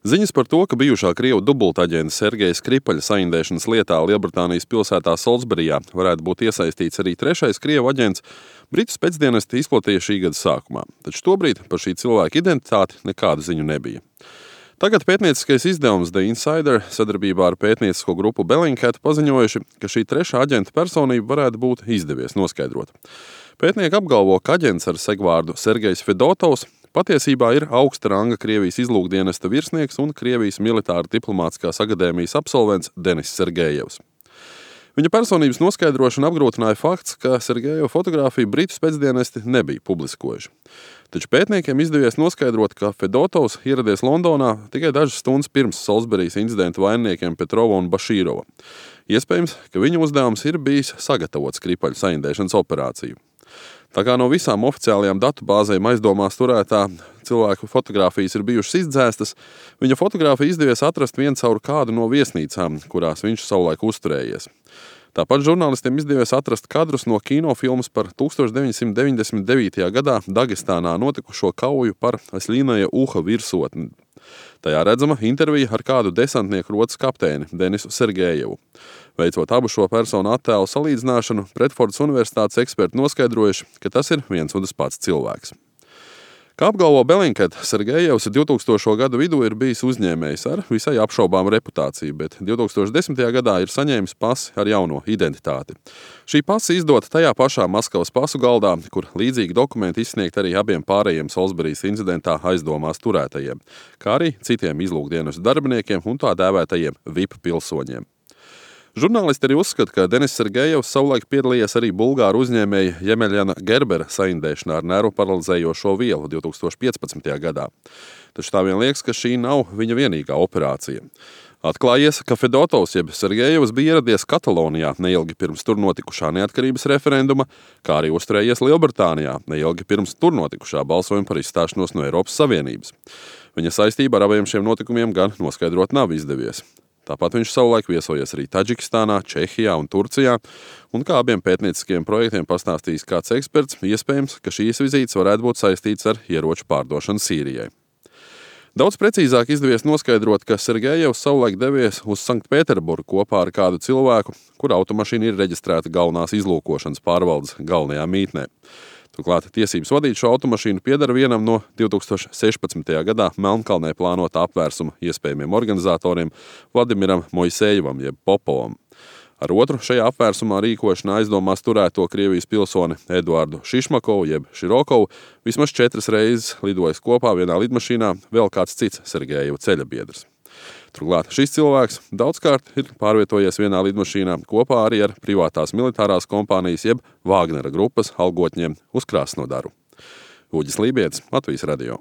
Ziņas par to, ka bijušā Krievu dubultaģenta Sergeja Skripaļa saindēšanas lietā Lielbritānijas pilsētā Solsberijā varētu būt iesaistīts arī trešais Krievu aģents, Britu spēcdienesti izplatīja šī gada sākumā, taču tobrīd par šī cilvēka identitāti nekādu ziņu nebija. Tagad pētnieciskais izdevums The Insider sadarbībā ar pētniecisko grupu Bellingcat paziņojuši, ka šī trešā aģenta personība varētu būt izdevies noskaidrot. Pētnieki apgalvo, ka aģents ar segvārdu Sergejs Fedotovs patiesībā ir augsta ranga Krievijas izlūkdienesta virsnieks un Krievijas militāra diplomātiskās akadēmijas absolvents Denis Sergejevs. Viņa personības noskaidrošanu apgrūtināja fakts, ka Sergejeva fotogrāfiju Britu spēcdienesti nebija publiskojuši. Taču pētniekiem izdevies noskaidrot, ka Fedotovs ieradies Londonā tikai dažas stundas pirms Solsberijas incidenta vaininiekiem Petrova un Bašīrova. Iespējams, ka viņa uzdevums ir bijis sagatavot Skripaļa saindēšanas operāciju. Tā kā no visām oficiālajām datubāzēm aizdomās turētā cilvēku fotogrāfijas ir bijušas izdzēstas, viņa fotogrāfiju izdevies atrast vien caur kādu no viesnīcām, kurās viņš savulaik uzturējies. Tāpat žurnālistiem izdevies atrast kadrus no kinofilmas par 1999. gadā Dagestānā notikušo kauju par Asļīnaja Uha virsotni. Tajā redzama intervija ar kādu desantnieku rotas kapteini Denisu Sergejevu. Veicot abu šo personu attēlu salīdzināšanu, Bredfordas universitātes eksperti noskaidrojuši, ka tas ir viens un tas pats cilvēks. Kā apgalvo Bellingcat, Sergejevs 2000. gadu vidū ir bijis uzņēmējs ar visai apšaubāmu reputāciju, bet 2010. gadā ir saņēmis pasi ar jauno identitāti. Šī pasa izdota tajā pašā Maskavas pasu galdā, kur līdzīgi dokumenti izsniegt arī abiem pārējiem Solsberijas incidentā aizdomās turētajiem, kā arī citiem izlūkdienestu darbiniekiem un tā dēvētajiem VIP pilsoņiem. Žurnālisti arī uzskata, ka Denis Sergejevs savulaik piedalījies arī bulgāru uzņēmēja Jemeļana Gerbera saindēšanā ar nervu paralizējošo vielu 2015. gadā. Taču tā vien liekas, ka šī nav viņa vienīgā operācija. Atklājies, ka Fedotovs jeb Sergejevs bija ieradies Katalonijā neilgi pirms tur notikušā neatkarības referenduma, kā arī uzturējies Lielbritānijā neilgi pirms tur notikušā balsojuma par izstāšanos no Eiropas Savienības. Viņa saistība ar abiem šiem notikumiem gan noskaidrot nav izdevies. Tāpat viņš savulaik viesojies arī Taģikistānā, Čehijā un Turcijā, un kā abiem pētnieciskiem projektiem pastāstījis kāds eksperts, iespējams, ka šīs vizītes varētu būt saistīts ar ieroču pārdošanu Sīrijai. Daudz precīzāk izdevies noskaidrot, ka Sergejevs savulaik devies uz Sanktpēterburgu kopā ar kādu cilvēku, kura automašīna ir reģistrēta galvenās izlūkošanas pārvaldes galvenajā mītnē. Turklāt tiesības vadīt šo automašīnu pieder vienam no 2016. gadā Melnkalnē plānotā apvērsuma iespējamiem organizatoriem Vladimiram Mojsejevam jeb Popovam. Ar otru šajā apvērsumā rīkošanā aizdomās turēto Krievijas pilsoni Eduardu Šišmakovu jeb Širokovu vismaz 4 reizes lidojis kopā vienā lidmašīnā vēl kāds cits Sergejeva ceļabiedrs. Turklāt šis cilvēks daudzkārt ir pārvietojies vienā lidmašīnā kopā arī ar privātās militārās kompānijas jeb Vāgnera grupas algotņiem uz Krasnodaru. Uģis Lībietis, Latvijas radio.